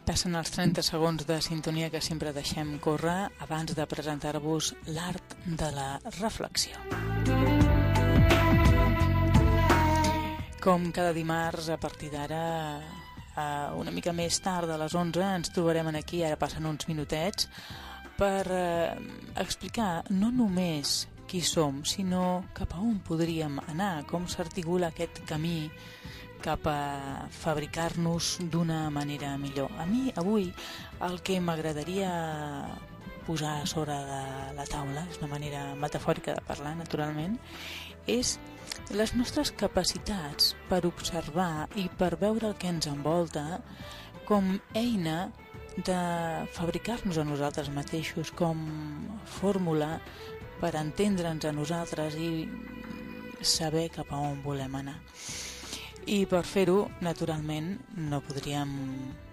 Passen els 30 segons de sintonia que sempre deixem córrer abans de presentar-vos l'art de la reflexió. Com cada dimarts, a partir d'ara, una mica més tard, a les 11, ens trobarem aquí, ara passen uns minutets, per explicar no només qui som, sinó cap a on podríem anar, com s'articula aquest camí cap a fabricar-nos d'una manera millor. A mi, avui, el que m'agradaria posar sobre de la taula, és una manera metafòrica de parlar, naturalment, és les nostres capacitats per observar i per veure el que ens envolta com eina de fabricar-nos a nosaltres mateixos, com fórmula per entendre'ns a nosaltres i saber cap a on volem anar. I per fer-ho, naturalment, no podríem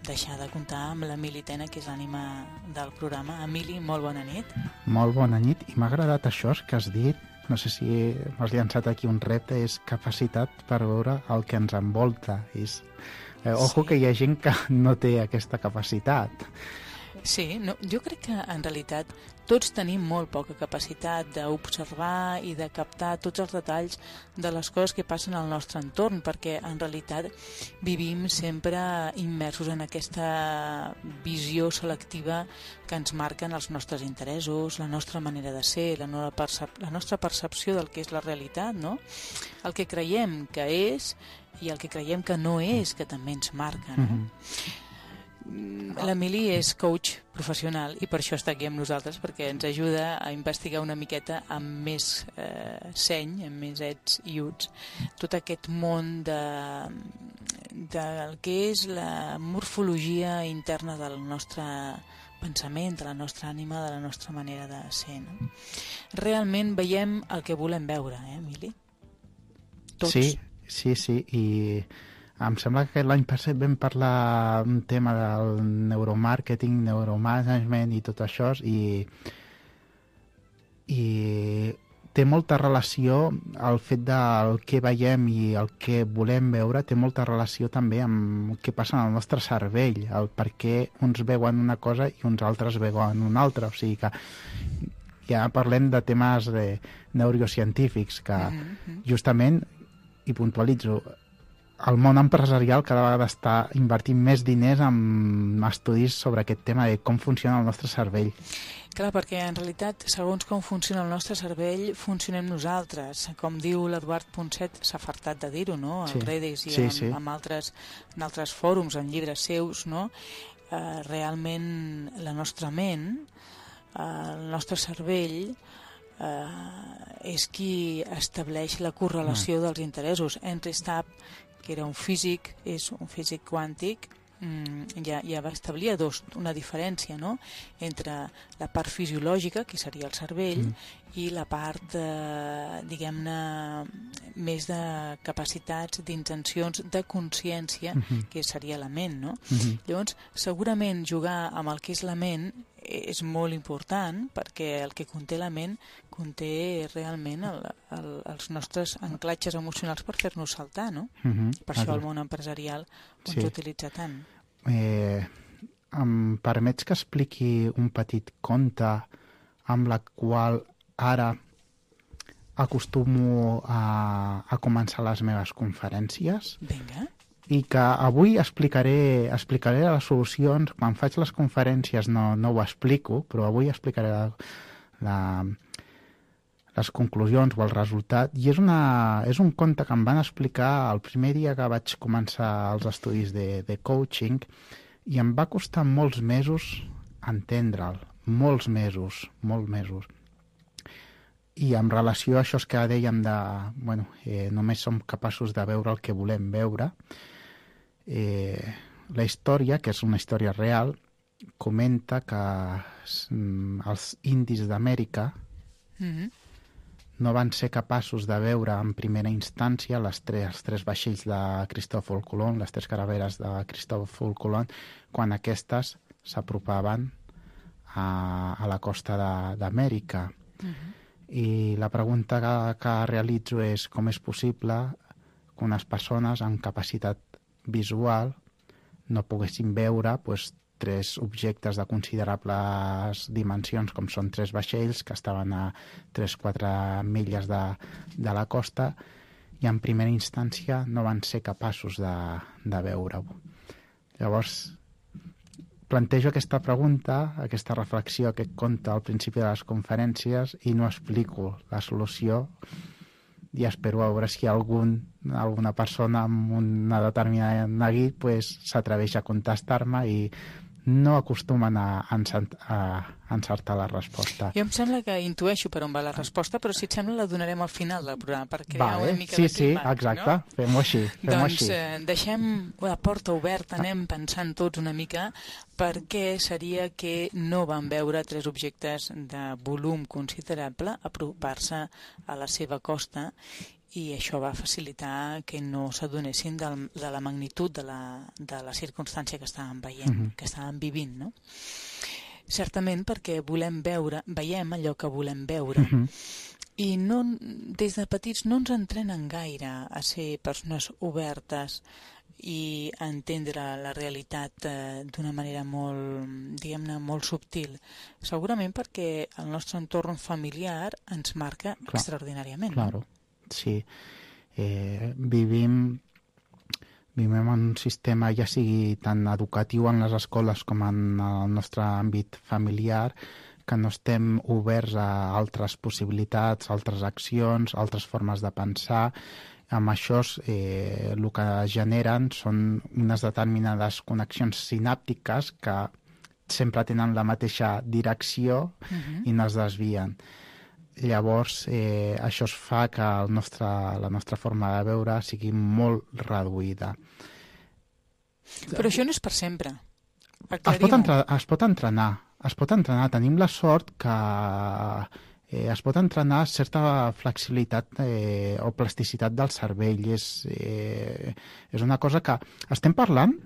deixar de comptar amb l'Emili Tena, que és l'ànima del programa. Emili, molt bona nit. Molt bona nit, i m'ha agradat això que has dit, no sé si m'has llançat aquí un repte, és capacitat per veure el que ens envolta. Ojo que hi ha gent que no té aquesta capacitat. Sí, no, jo crec que en realitat tots tenim molt poca capacitat d'observar i de captar tots els detalls de les coses que passen al nostre entorn, perquè en realitat vivim sempre immersos en aquesta visió selectiva que ens marquen els nostres interessos, la nostra manera de ser, la nostra percepció del que és la realitat, no? El que creiem que és i el que creiem que no és, que també ens marca, no? L'Emili és coach professional i per això està aquí amb nosaltres, perquè ens ajuda a investigar una miqueta amb més seny, amb més ets i uts, tot aquest món del que és la morfologia interna del nostre pensament, de la nostra ànima, de la nostra manera de ser, no? Realment veiem el que volem veure, Emili? Tots. Sí, i em sembla que l'any passat vam parlar un tema del neuromàrqueting, neuromanagement i tot això, i té molta relació el fet del que veiem i el que volem veure, té molta relació també amb el que passa en el nostre cervell, el per què uns veuen una cosa i uns altres veuen una altra, o sigui que ja parlem de temes neurocientífics que justament, i puntualitzo, el món empresarial cada vegada està invertint més diners en estudis sobre aquest tema de com funciona el nostre cervell. Clar, perquè en realitat, segons com funciona el nostre cervell, funcionem nosaltres. Com diu l'Eduard Ponset, s'ha fartat de dir-ho, no? Al Reddit i en altres fòrums, en llibres seus, no? Realment, la nostra ment, el nostre cervell, és qui estableix la correlació dels interessos. Henry Stapp, que era un físic, és un físic quàntic, ja va establir una diferència, no?, entre la part fisiològica, que seria el cervell, i la part, diguem-ne, més de capacitats, d'intencions, de consciència, que seria la ment, no? Llavors, segurament jugar amb el que és la ment és molt important, perquè el que conté la ment conté realment els nostres anclatges emocionals per fer-nos saltar, no? Per això el món empresarial ens utilitza tant. Em permets que expliqui un petit conte amb la qual ara acostumo a començar les meves conferències? Vinga. I que avui explicaré les solucions. Quan faig les conferències no ho explico, però avui explicaré les conclusions o el resultat. I és un conte que em van explicar el primer dia que vaig començar els estudis de coaching, i em va costar molts mesos entendre'l, molts mesos. I en relació a això que dèiem només som capaços de veure el que volem veure, la història, que és una història real, comenta que els indis d'Amèrica no van ser capaços de veure en primera instància els tres vaixells de Cristòfol Colom, les tres caraveres de Cristòfol Colom, quan aquestes s'apropaven a la costa d'Amèrica. I la pregunta que realitzo és com és possible que unes persones amb capacitat visual no poguessin veure 3 objectes de considerables dimensions, com són 3 vaixells que estaven a 3-4 milles de la costa, i en primera instància no van ser capaços de veure-ho. Llavors, plantejo aquesta pregunta, aquesta reflexió, aquest conte al principi de les conferències, i no explico la solució, i espero veure si alguna persona amb una determinada neguit s'atreveix a contestar-me, i no acostumen a encertar la resposta. Jo em sembla que intueixo per on va la resposta, però si et sembla la donarem al final del programa per crear una mica de clima. Sí, exacte, no? Fem-ho així. Doncs deixem la porta oberta, anem pensant tots una mica per què seria que no van veure 3 objectes de volum considerable apropar-se a la seva costa, i això va facilitar que no s'adonessin de la magnitud de la circumstància que estàvem veient, que estàvem vivint, no? Certament perquè veiem allò que volem veure, i des de petits no ens entrenen gaire a ser persones obertes i a entendre la realitat d'una manera molt, diguem-ne, molt subtil. Segurament perquè el nostre entorn familiar ens marca extraordinàriament. Claro. Sí, vivim en un sistema, ja sigui tant educatiu en les escoles com en el nostre àmbit familiar, que no estem oberts a altres possibilitats, altres accions, altres formes de pensar. Amb això el que generen són unes determinades connexions sinàptiques que sempre tenen la mateixa direcció i no es desvien. Llavors, això fa que la nostra forma de veure sigui molt reduïda. Però això no és per sempre. Es pot entrenar. Tenim la sort que es pot entrenar certa flexibilitat o plasticitat del cervell. És una cosa que estem parlant,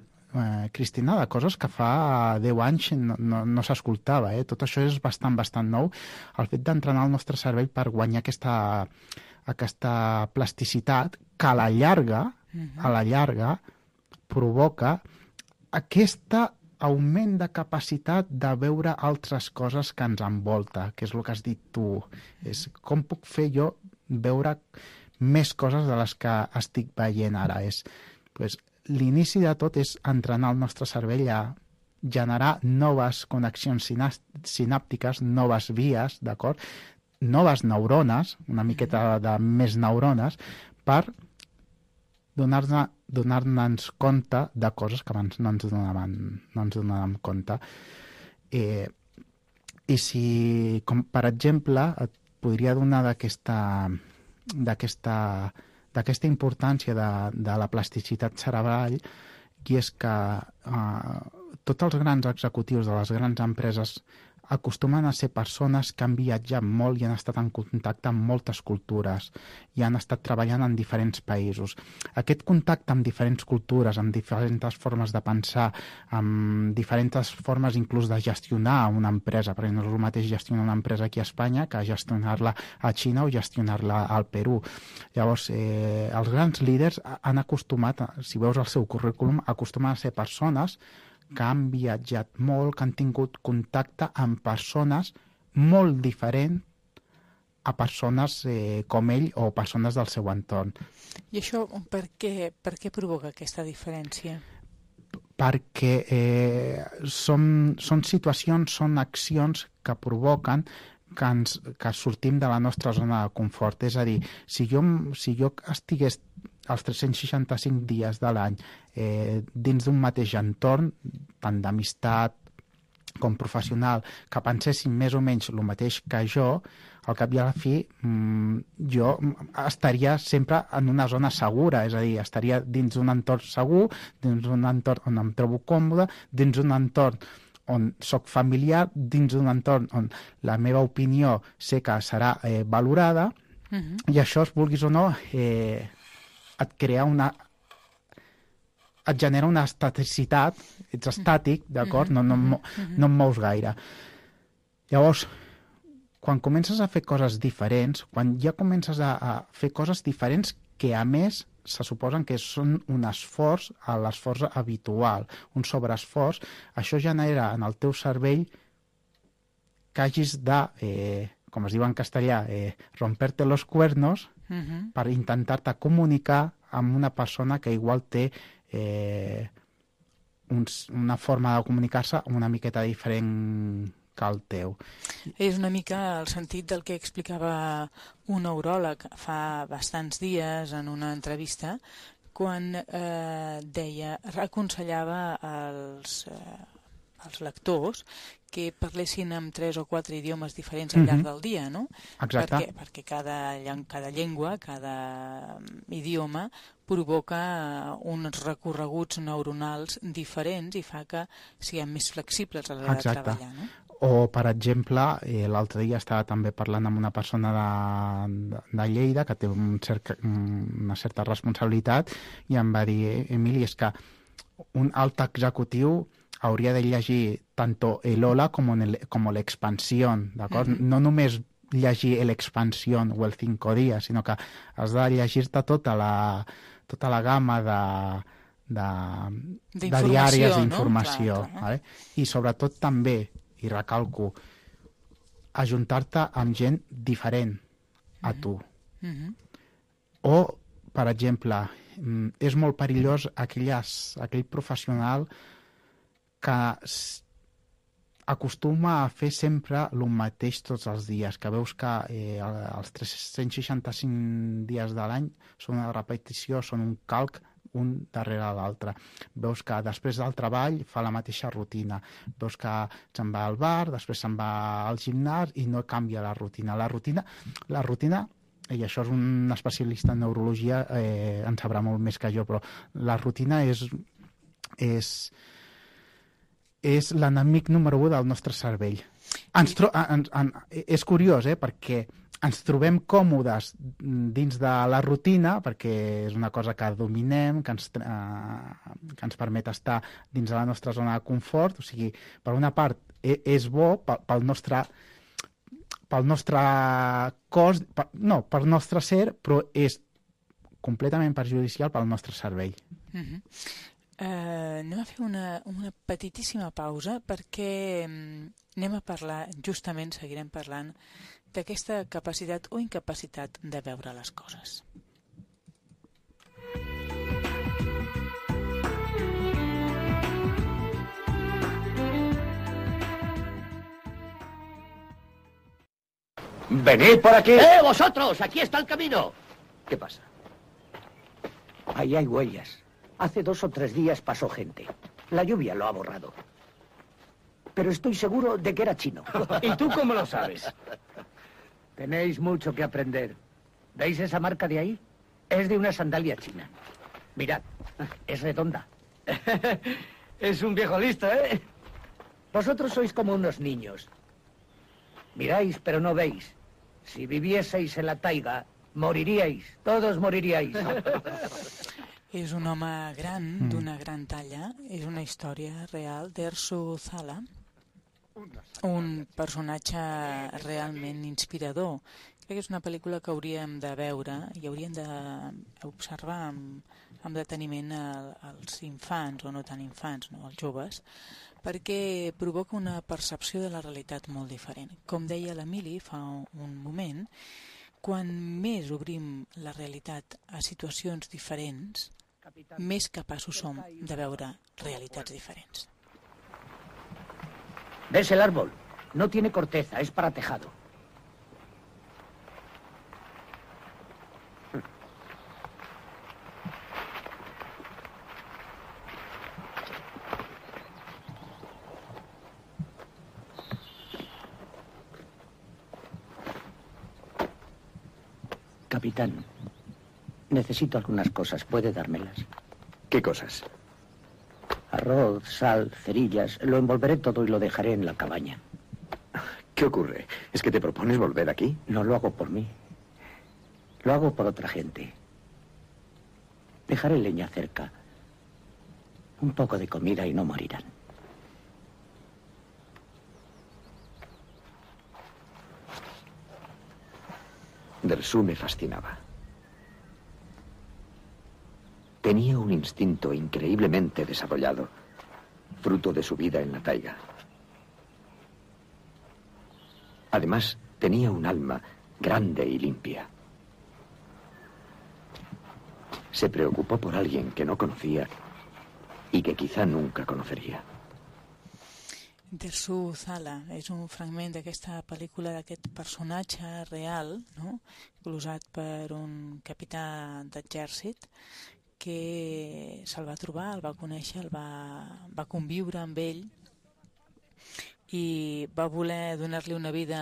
Cristina, de coses que fa 10 anys no s'escoltava. Tot això és bastant nou. El fet d'entrenar el nostre cervell per guanyar aquesta plasticitat que a la llarga provoca aquest augment de capacitat de veure altres coses que ens envolta, que és el que has dit tu. És com puc fer jo veure més coses de les que estic veient ara. L'inici de tot és entrenar el nostre cervell a generar noves connexions sinàptiques, noves vies, d'acord? Noves neurones, una miqueta de més neurones, per donar-nos compte de coses que abans no ens donàvem compte. I si, com per exemple, et podria donar d'aquesta importància de la plasticitat cerebral, i és que tots els grans executius de les grans empreses acostumen a ser persones que han viatjat molt i han estat en contacte amb moltes cultures i han estat treballant en diferents països. Aquest contacte amb diferents cultures, amb diferents formes de pensar, amb diferents formes inclús de gestionar una empresa, perquè no és el mateix gestionar una empresa aquí a Espanya que gestionar-la a Xina o gestionar-la al Perú. Llavors, els grans líders han acostumat, si veus el seu currículum, acostumen a ser persones que han viatjat molt, que han tingut contacte amb persones molt diferents a persones com ell o persones del seu entorn. I això per què provoca aquesta diferència? Perquè són situacions, són accions que provoquen que sortim de la nostra zona de confort. És a dir, si jo estigués els 365 dies de l'any dins d'un mateix entorn, tant d'amistat com professional, que pensessin més o menys el mateix que jo, al cap i a la fi jo estaria sempre en una zona segura, és a dir, estaria dins d'un entorn segur, dins d'un entorn on em trobo còmode, dins d'un entorn on soc familiar, dins d'un entorn on la meva opinió sé que serà valorada, i això, vulguis o no, et genera una estaticitat, ets estàtic, d'acord? No em mous gaire. Llavors, quan comences a fer coses diferents, quan ja comences a fer coses diferents que, a més, se suposen que són un esforç a l'esforç habitual, un sobreesforç. Això genera en el teu cervell que hagis de, com es diu en castellà, romperte los cuernos per intentar-te comunicar amb una persona que igual té una forma de comunicar-se una miqueta diferent que el teu. És una mica el sentit del que explicava un neuròleg fa bastants dies en una entrevista, quan aconsellava als lectors que parlessin amb 3 o 4 idiomes diferents al llarg del dia, no? Exacte. Perquè cada llengua, cada idioma provoca uns recorreguts neuronals diferents i fa que siguem més flexibles a l'hora de treballar, no? O, per exemple, l'altre dia estava també parlant amb una persona de Lleida que té una certa responsabilitat i em va dir, Emili, és que un alt executiu hauria de llegir tanto el hola com l'expansión, d'acord? No només llegir l'expansión o el 5 días, sinó que has de llegir-te tota la gamma de diàries d'informació. No? Vale? I sobretot també, i recalco, ajuntar-te amb gent diferent a tu. O, per exemple, és molt perillós aquell professional que acostuma a fer sempre el mateix tots els dies, que veus que els 365 dies de l'any són una repetició, són un calc un darrere l'altre. Veus que després del treball fa la mateixa rutina. Veus que se'n va al bar, després se'n va al gimnàs i no canvia la rutina. La rutina, i això és un especialista en neurologia, en sabrà molt més que jo, però la rutina és l'enemic número 1 del nostre cervell. És curiós, perquè ens trobem còmodes dins de la rutina, perquè és una cosa que dominem, que ens permet estar dins de la nostra zona de confort. O sigui, per una part, és bo pel nostre cos, pel nostre ser, però és completament perjudicial pel nostre cervell. Anem a fer una petitíssima pausa perquè anem a parlar, justament seguirem parlant d'aquesta capacitat o incapacitat de veure les coses. ¡Venid por aquí! ¡Vosotros! ¡Aquí está el camino! ¿Qué pasa? Ahí hay huellas. Hace 2 o 3 días pasó gente. La lluvia lo ha borrado. Pero estoy seguro de que era chino. ¿Y tú cómo lo sabes? Tenéis mucho que aprender. ¿Veis esa marca de ahí? Es de una sandalia china. Mirad, es redonda. Es un viejo listo, ¿eh? Vosotros sois como unos niños. Miráis, pero no veis. Si vivieseis en la taiga, moriríais. Todos moriríais. És un home gran, d'una gran talla. És una història real d'Ersu Zala, un personatge realment inspirador. Crec que és una pel·lícula que hauríem de veure i hauríem d'observar amb deteniment als infants, o no tan infants, no, als joves, perquè provoca una percepció de la realitat molt diferent. Com deia l'Emili fa un moment, quan més obrim la realitat a situacions diferents, més capaços som de veure realitats diferents. ¿Ves el árbol? No tiene corteza, es para tejado. Capitán, necesito algunas cosas. ¿Puede dármelas? ¿Qué cosas? Arroz, sal, cerillas. Lo envolveré todo y lo dejaré en la cabaña. ¿Qué ocurre? ¿Es que te propones volver aquí? No lo hago por mí. Lo hago por otra gente. Dejaré leña cerca. Un poco de comida y no morirán. Dersu me fascinaba. tenía un instinto increíblemente desarrollado, fruto de su vida en la taiga. Además, tenía un alma grande y limpia. Se preocupó por alguien que no conocía y que quizá nunca conocería. Dersu Uzala és un fragment d'aquesta pel·lícula d'aquest personatge real, no? Glosat per un capità d'exèrcit que se'l va trobar, el va conèixer, va conviure amb ell i va voler donar-li una vida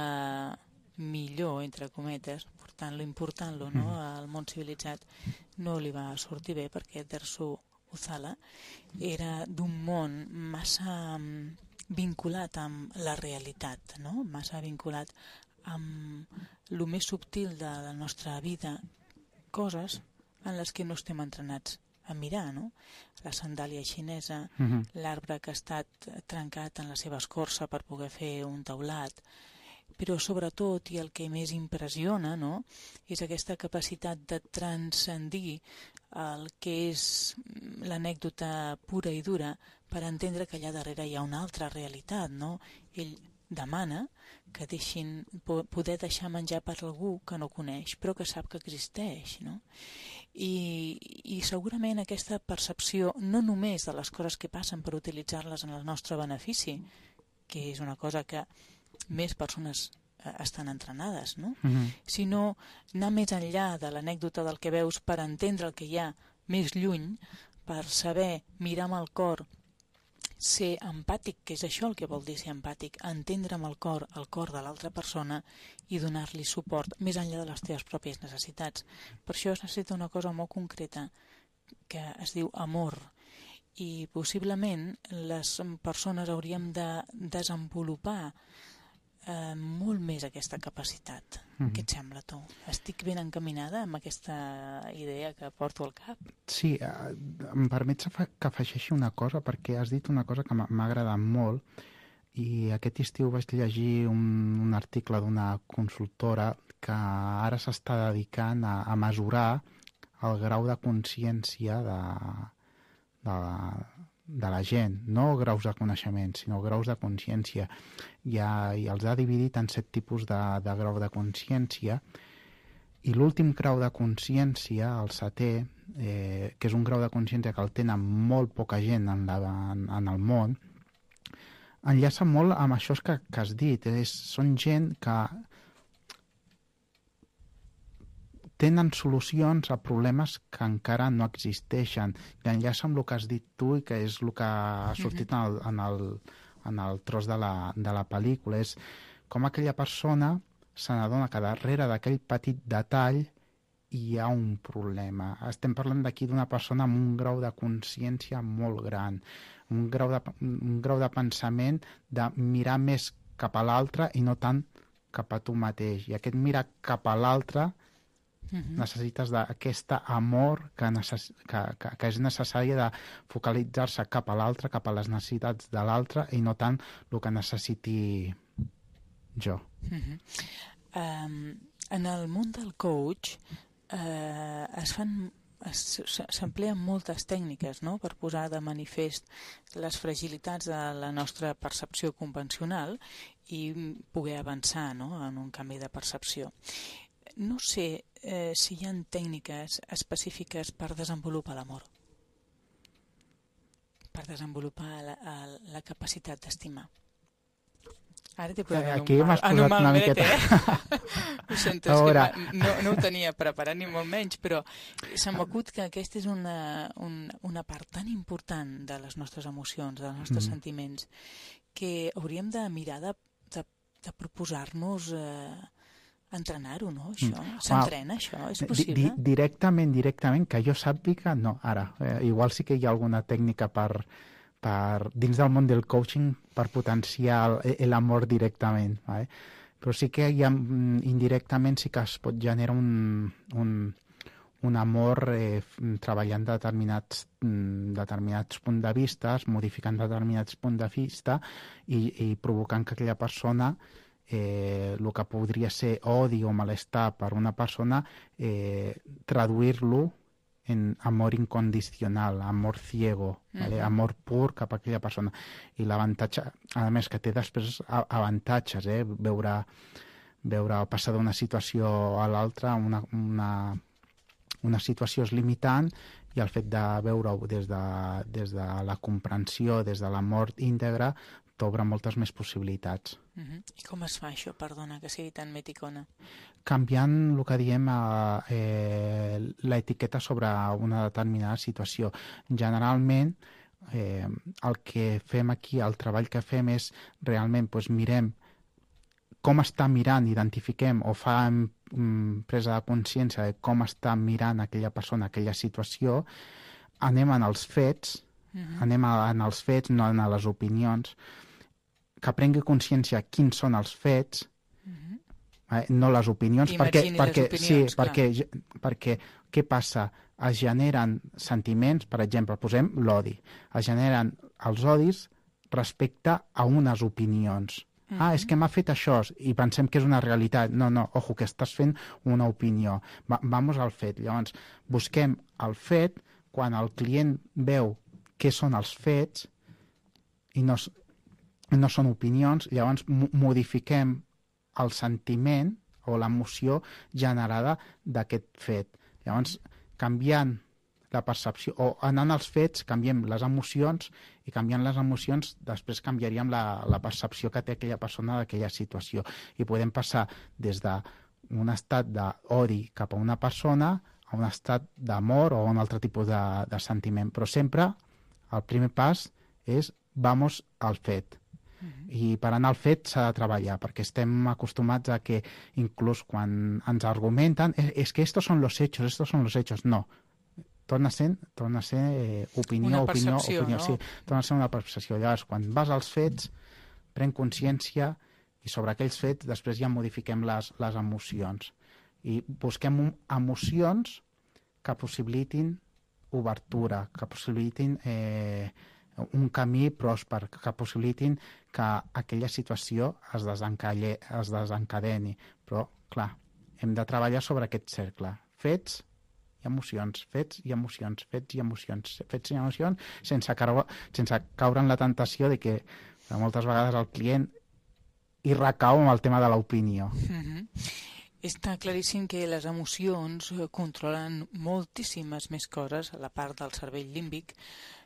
millor, entre cometes, portant-lo, important-lo, no? Al món civilitzat. No li va sortir bé perquè Dersu Uzala era d'un món massa vinculat amb la realitat, no? Massa vinculat amb el més subtil de la nostra vida, coses en les que no estem entrenats a mirar, no? La sandàlia xinesa, l'arbre que ha estat trencat en la seva escorça per poder fer un teulat, però sobretot, i el que més impressiona, no?, és aquesta capacitat de transcendir el que és l'anècdota pura i dura per entendre que allà darrere hi ha una altra realitat, no? Ell demana que deixin poder deixar menjar per algú que no coneix, però que sap que existeix, no? I segurament aquesta percepció no només de les coses que passen per utilitzar-les en el nostre benefici, que és una cosa que més persones estan entrenades, no? Sinó anar més enllà de l'anècdota del que veus per entendre el que hi ha més lluny, per saber mirar amb el cor, ser empàtic, que és això el que vol dir ser empàtic, entendre amb el cor de l'altra persona i donar-li suport més enllà de les teves pròpies necessitats. Per això es necessita una cosa molt concreta que es diu amor, i possiblement les persones hauríem de desenvolupar molt més aquesta capacitat. Què et sembla, tu? Estic ben encaminada amb aquesta idea que porto al cap? Sí, em permets que afegeixi una cosa, perquè has dit una cosa que m'ha agradat molt, i aquest estiu vaig llegir un article d'una consultora que ara s'està dedicant a mesurar el grau de consciència de la gent, no graus de coneixement, sinó graus de consciència. I els ha dividit en 7 tipus de grau de consciència, i l'últim grau de consciència, el 7è, que és un grau de consciència que el tenen molt poca gent en el món, enllaça molt amb això que has dit. Són gent que tenen solucions a problemes que encara no existeixen. I enllaça amb el que has dit tu i que és el que ha sortit en el tros de la pel·lícula. És com aquella persona se n'adona que darrere d'aquell petit detall hi ha un problema. Estem parlant d'aquí d'una persona amb un grau de consciència molt gran, un grau de pensament de mirar més cap a l'altre i no tant cap a tu mateix. I aquest mirar cap a l'altre necessites d'aquest amor que és necessari de focalitzar-se cap a l'altre, cap a les necessitats de l'altre i no tant el que necessiti jo. En el món del coach s'empleen moltes tècniques, no?, per posar de manifest les fragilitats de la nostra percepció convencional i poder avançar, no?, en un canvi de percepció. No sé si hi ha tècniques específiques per desenvolupar l'amor, per desenvolupar la capacitat d'estimar. Ara t'he posat en un mal miqueta. Ho sento, és que no ho tenia preparat ni molt menys, però se m'acut que aquesta és una part tan important de les nostres emocions, dels nostres sentiments, que hauríem de mirar de proposar-nos entrenar-ho, no, això? S'entrena, això? És possible? Directament, que jo sàpiga, no. Ara, igual sí que hi ha alguna tècnica per dins del món del coaching per potenciar l'amor directament, vale? Però sí que hi ha, indirectament sí que es pot generar un amor treballant determinats punts de vista, modificant determinats punts de vista i provocant que aquella persona el que podria ser odi o malestar per una persona, traduir-lo en amor incondicional, amor ciego, ¿vale? Amor pur cap a aquella persona. I l'avantatge, a més, que té després avantatges, veure passar d'una situació a l'altra, una situació és limitant, i el fet de veure-ho des de la comprensió, des de l'amor íntegre, t'obre moltes més possibilitats. I com es fa això, perdona, que sigui tan meticona? Canviant el que diem l'etiqueta sobre una determinada situació. Generalment, el que fem aquí, el treball que fem és realment mirem com està mirant, identifiquem o fem presa de consciència de com està mirant aquella persona, aquella situació, anem en els fets, no en les opinions, que prengui consciència quins són els fets, no les opinions, perquè què passa? Es generen sentiments, per exemple, posem l'odi, es generen els odis respecte a unes opinions. És que m'ha fet això i pensem que és una realitat. No, ojo, que estàs fent una opinió. Vamos al fet. Llavors, busquem el fet quan el client veu què són els fets i no són opinions, llavors modifiquem el sentiment o l'emoció generada d'aquest fet. Llavors, canviant la percepció, o anant als fets, canviem les emocions, i canviant les emocions després canviaríem la percepció que té aquella persona d'aquella situació. I podem passar des d'un estat d'odi cap a una persona a un estat d'amor o un altre tipus de sentiment. Però sempre el primer pas és vamos al fet. I per anar al fet s'ha de treballar, perquè estem acostumats a que inclús quan ens argumenten és que estos son los hechos, no. Torna a ser opinió, no? Sí, torna a ser una percepció. Llavors, quan vas als fets, pren consciència i sobre aquells fets després ja modifiquem les emocions. I busquem emocions que possibilitin obertura, que possibilitin un camí pròsper, que possibilitin que aquella situació es desencadeni. Però, clar, hem de treballar sobre aquest cercle. Fets i emocions, fets i emocions, fets i emocions, fets i emocions, sense caure en la tentació de que moltes vegades el client hi recau amb el tema de l'opinió. Està claríssim que les emocions controlen moltíssimes més coses a la part del cervell límbic,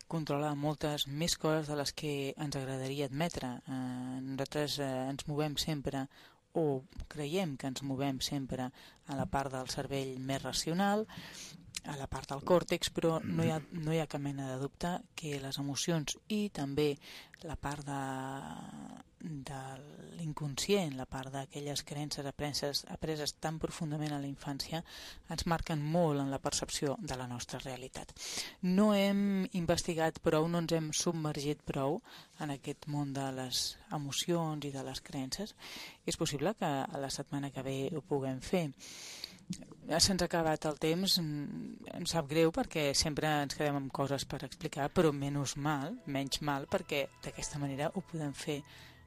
controla moltes més coses de les que ens agradaria admetre. Nosaltres ens movem sempre, o creiem que ens movem sempre a la part del cervell més racional, a la part del còrtex, però no hi ha cap mena de dubte que les emocions i també la part de l'inconscient, la part d'aquelles creences apreses tan profundament a la infància, ens marquen molt en la percepció de la nostra realitat. No hem investigat prou, no ens hem submergit prou en aquest món de les emocions i de les creences. És possible que a la setmana que ve ho puguem fer. Se'ns ha acabat el temps, em sap greu perquè sempre ens quedem amb coses per explicar, però menys mal, perquè d'aquesta manera ho podem fer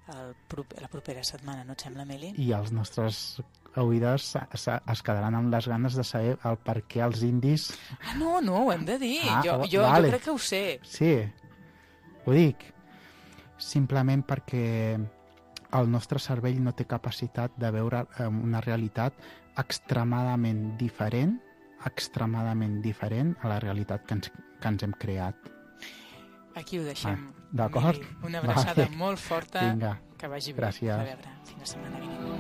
la propera setmana, no et sembla, Meli? I els nostres oïdors es quedaran amb les ganes de saber el per què els indis... No, ho hem de dir, jo crec que ho sé. Sí, ho dic. Simplement perquè el nostre cervell no té capacitat de veure una realitat extremadament diferent a la realitat que ens hem creat. Aquí ho deixem. D'acord? Una abraçada molt forta. Vinga. Que vagi bé. Gràcies. A veure, fins la setmana vinent.